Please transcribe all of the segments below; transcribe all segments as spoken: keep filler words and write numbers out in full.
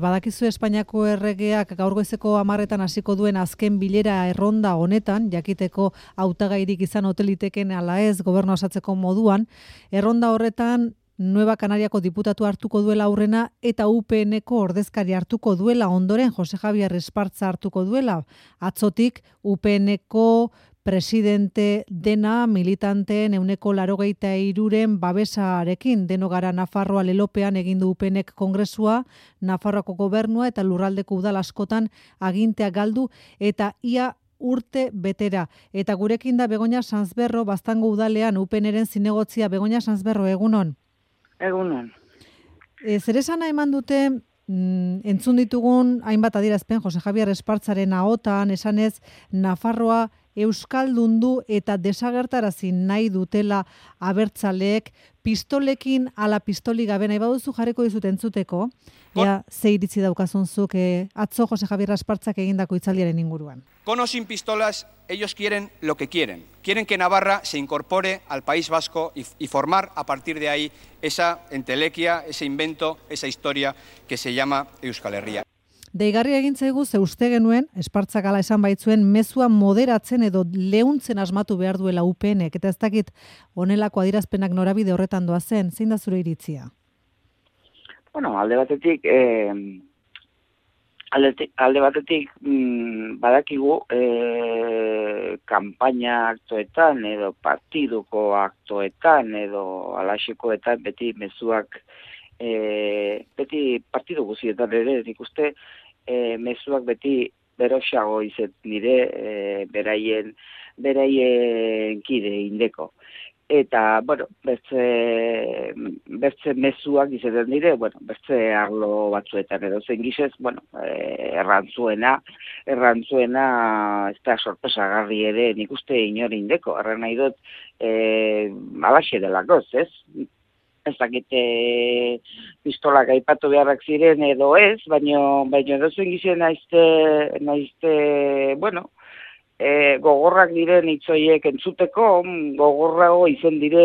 Badakizu Espainiako erregeak gaur goizeko hamarretan hasiko duen azken bilera erronda honetan, jakiteko hautagairik izan oteliteken ala ez gobernu osatzeko moduan, erronda horretan Nueva Canariako diputatu hartuko duela aurrena eta U P N-ko ordezkari hartuko duela ondoren Jose Javier Espartza hartuko duela. Atzotik U P N-ko presidente dena militanteen ehuneko laurogeita hiruren babesarekin deno gara Nafarroa lelopean egin du U P N-ek kongresua, Nafarroako gobernua eta lurraldeko udal askotan agintea galdu eta ia urte betera. Eta gurekin da Begoña Sansberro, Baztango udalean U P N-ren zinegotzia. Begoña Sansberro, egunon. Egunon. E, zer esana eman dute mm, entzun ditugun hainbat adierazpen Jose Javier Espartzaren ahotan, esanez Nafarroa euskaldundu eta desagertarazi nahi dutela abertzaleek, pistolekin ala pistoli gabe nahi baduzu jarriko dizut entzuteko, ea ze iritzi daukazun zuk e, atzo Jose Javier Espartzak egindako hitzaldiaren inguruan. Con o sin pistolas, ellos quieren lo que quieren. Quieren que Navarra se incorpore al País Vasco y, y formar a partir de ahí esa entelequia, ese invento, esa historia que se llama Euskal Herria. Deigarria egin zaigu ze uste genuen, Espartzak hala esan baitzuen, mezua moderatzen edo leuntzen asmatu behar duela U P N-ek, eta ez dakit honelako adierazpenak norabide horretan doa zen, zein da zure iritzia? Bueno, alde batetik, eh, alde, alde batetik mm, badakigu eh, kanpaina aktoetan edo partiduko aktoetan edo alaxekoetan beti mezuak E, beti partidu guztietan ere, nik uste e, mezuak beti beroxago izet nire e, beraien, beraien kide indeko. Eta, bueno, bertze, bertze mezuak izaten dire, bueno, bertze arlo batzuetan edo zen gizez, bueno, e, errantzuena, errantzuena ez da sorpresagarri ere nik uste inori indeko, erran nahi dut e, alaxe delakoz, ez? Ez dakite pistolak aipatu beharrak ziren edo ez, baino baino edozen gizien naizte, naizte, bueno, e, gogorrak diren hitzoiek entzuteko, gogorrago izen dire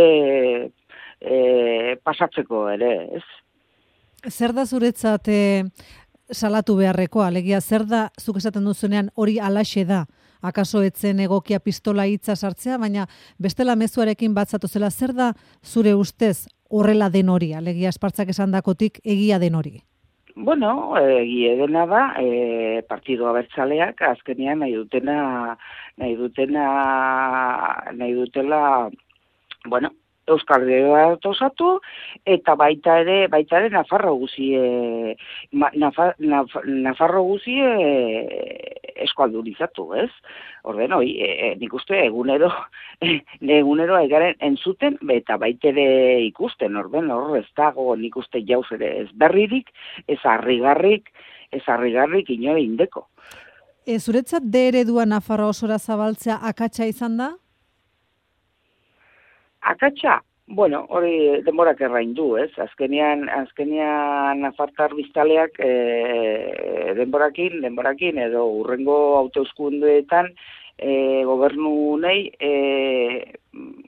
e, pasatzeko ere, ez? Zer da zuretzat e, salatu beharrekoa, alegia, zer da zuk esaten duzunean hori alaxe da? Akaso etzen egokia pistola hitza sartzea, baina bestela mezuarekin batzatu zela, zer da zure ustez horrela den hori, alegia Espartzak esandakotik egia den hori? Bueno, egia dena da, e, partidu abertzaleak azkenean nahi dutena, nahi dutena, nahi dutela, bueno, Euskal Herria osatu eta baita ere, baita ere Nafarro guzie, Nafar, Naf, Nafarro guzie eskualdurizatu, ez? Orden, hoi, e, nik uste egunero, e, egunero egaren entzuten, eta baita ere ikusten, orden, hor ez dago nik uste jauz ere ez berririk, ez harrigarrik, ez harrigarrik inore indeko. E, zuretzat de eredua Nafarroa osora zabaltzea akatsa izan da? Akatsa, bueno, hori denborak errain du, ez? Azkenean, azkenean nafartar biztaleak e, denborakin, denborakin, edo urrengo autoeskundeetan e, gobernu nahi e,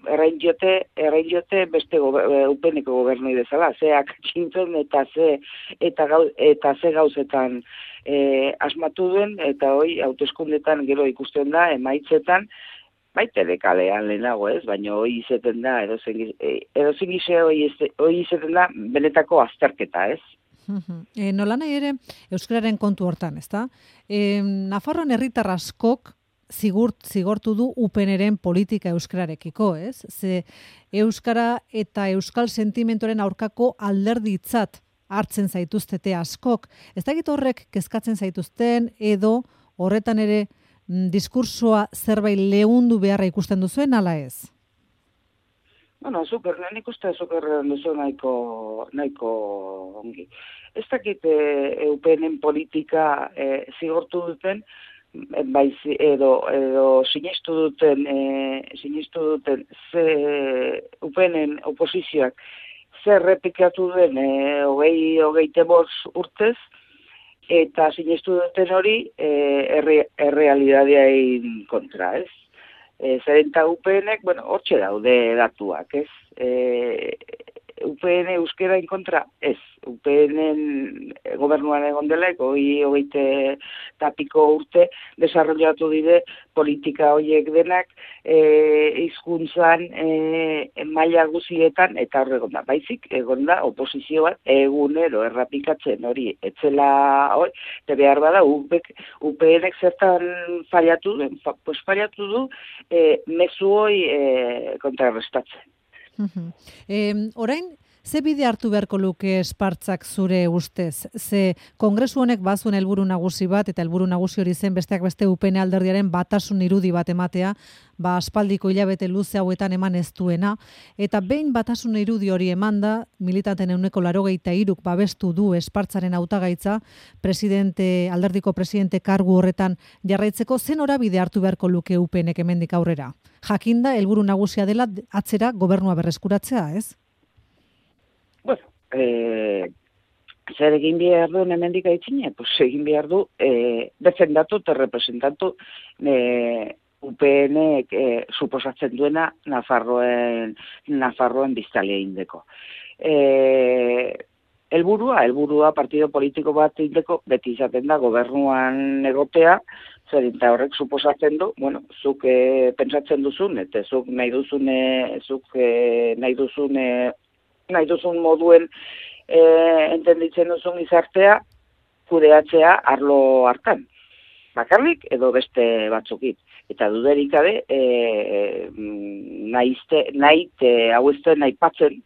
errain jote, errain jote beste gober, U P N-ko gobernu bezala, ze akatsintzen eta ze, eta, gau, eta ze gauzetan e, asmatu duen, eta hoi autoeskundeetan gero ikusten da, emaitzetan, baita dekalean lehenago ez, baina hoi izeten da, edozen gize hoi izeten da, benetako azterketa ez. E, nola nahi ere, euskararen kontu hortan, ez da? E, Nafarroan herritar askok zigurt, zigortu du U P N-ren politika euskararekiko, ez? Ze euskara eta euskal sentimentoren aurkako alderditzat hartzen zaituztete askok. Ez dakit horrek kezkatzen zaituzten edo horretan ere diskursoa zerbait leundu beharra ikusten duzuen, ala ez? Bueno, super, nik uste super duzu nahiko, nahiko ongi. Ez dakit e, U P N-en politika e, zigortu duten, bai, edo, edo sinestu duten, e, sinestu duten ze U P N-en oposizioak zer repikatu den e, hogei, hogeite bost urtez, eta sinestu duten hori erre, errealidadeain kontra, ez? E, Zeren eta U P N-ek, bueno, hortxe daude datuak, ez? E, U P N euskera kontra, ez. U P N gobernuan egon dela, hoi hogeite tapiko urte, desarrollatu dire politika horiek denak, e, izkuntzan, e, maila guzietan, eta hor egon da. Baizik, egon da, oposizio bat, egunero errapikatzen hori, etzela, hori, eta behar bada, U P N-ek zertan fallatu du, pues fallatu du, e, mezu hoi e, kontrarrestatzen. Uh-huh. E, orain, ze bide hartu beharko luke Espartzak zure ustez? Ze kongresu honek bazuen helburu nagusi bat, eta helburu nagusi hori zen besteak beste U P N alderdiaren batasun irudi bat ematea, ba aspaldiko hilabete luze hauetan eman ez duena, eta behin batasun irudi hori emanda, militanten ehuneko laurogeita hiruk babestu du Espartzaren hautagaitza, presidente, alderdiko presidente kargu horretan jarraitzeko, zen norabide hartu beharko luke U P N-ek hemendik aurrera? Jakinda, helburu nagusia dela atzera gobernua berreskuratzea, ez? Bueno, eh, zer egin behar du hemendik aitzine? Pues egin behar du eh, defendatu eta representatu eh, U P N-ek eh, suposatzen duena Nafarroen, Nafarroen biztalia indeko. Eh, helburua, helburua partido politiko bat indeko beti izaten da gobernuan egotea, zer eta horrek suposatzen du, bueno, zuk eh, pentsatzen duzun, eta zuk nahi duzune, zuk eh, nahi duzune, nahi duzun moduen e, entenditzen duzun izartea kudeatzea arlo hartan. Bakarrik edo beste batzukit. Eta duderik gabe, e, nahizte, nahite, hau ez den aipatzen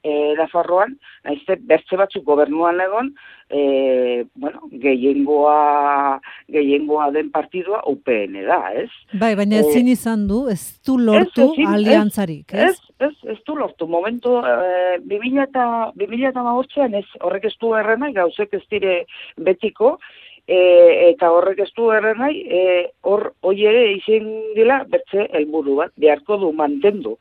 e, Nafarroan, nahizte bertze batzuk gobernuan egon, e, bueno, gehiengoa, gehiengoa den partidua U P N da, ez? Bai, baina ezin izan du, ez du lortu ez, ezin, aliantzarik, ez? Ez, ez, ez du lortu. Momentu, e, bi mila hamabostean ez, horrek ez du errenai, gauzek ez dire betiko, e, eta horrek ez du errenai, e, hor, hoi ere izin dila, bertze helburu bat, beharko du mantendu,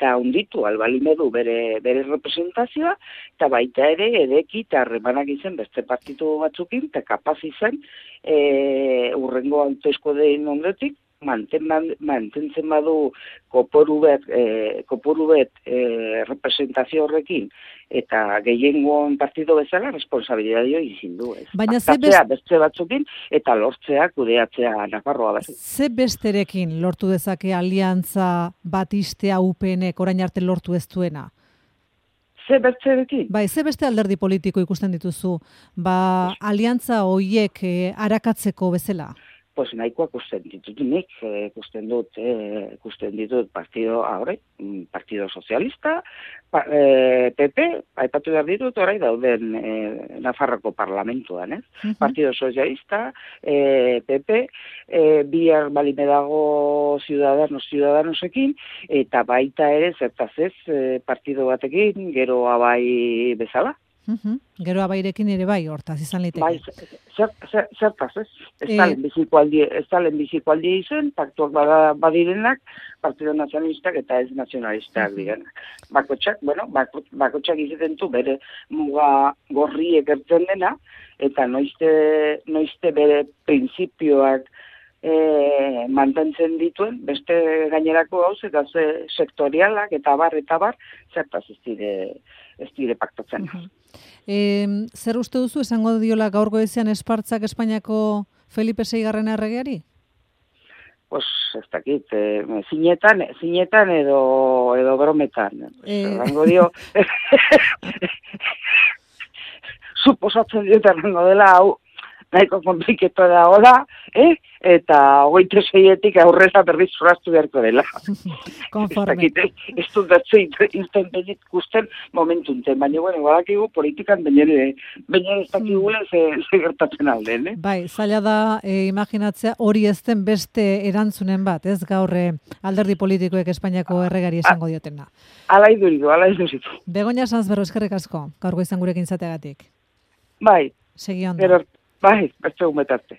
eta hunditu albalimedu bere, bere representazioa, eta baita ere edeki eta harremanak izen beste partitu batzukin, eta kapaz izan e, urrengo hautezko dein ondotik, manten, mantentzen badu koporu bet, e, koporu bet e, representazio horrekin, eta gehiengoan partido bezala responsabilidadio izin du. Ez. Baina ze best... beste batzukin, eta lortzea, kudeatzea Nafarroa bat. Ze besterekin lortu dezake aliantza bat istea U P N-ek orain arte lortu ez duena? Ze besterekin? Bai, ze beste alderdi politiko ikusten dituzu, ba, aliantza hoiek eh, arakatzeko bezala? Pues nahikoa ikusten ditut nik, ikusten dut, eh, ikusten ditut partido, ahore, partido socialista, pa, eh, P P, aipatu behar ditut, orai dauden eh, Nafarroko parlamentuan, ez? Uh-huh. Partido socialista, eh, P P, eh, bihar balime dago Ciudadanos, Ciudadanosekin, eta baita ere, zertaz ez, eh, partido batekin, gero abai bezala. Uh-huh. Gero abairekin ere bai, hortaz izan liteke. Bai, zertaz, ez? Ez talen e... biziko aldi izen, paktuak badirenak, Partido Nazionalistak eta ez nazionalistak direnak. Bakotxak, bueno, bakotxak izaten du bere muga gorriek ertzen dena, eta noizte, noizte bere printzipioak e, mantentzen dituen, beste gainerako gauz, eta ze sektorialak, eta bar, eta bar, zertaz ez dire, ez dire paktatzen. Uh-huh. E, zer uste duzu esango diola gaur goizean Espartzak Espainiako Felipe seigarren erregeari? Pues ez dakit, eh, zinetan, zinetan edo, edo brometan. Eh... Erango dio, suposatzen diot erango dela, hau, nahiko kompliketo da hola, eh? Eta hogeita seietik aurrera berriz zoraztu beharko dela. Konforme. Ez dut datzu inten benik gusten momentunten, baina bueno, badakigu politikan baina ez dakigula ze, ze gertatzen alden, eh? Bai, zaila da e, imaginatzea hori ez den beste erantzunen bat, ez gaur e, alderdi politikoek Espainiako erregari esango diotena. Ala iduridu, ala iduridu. Begoña Sanzberro, eskerrik asko, gaur goizan gurekin izateagatik. Bai. Segi ondo. Pero, bai, beste umetarte.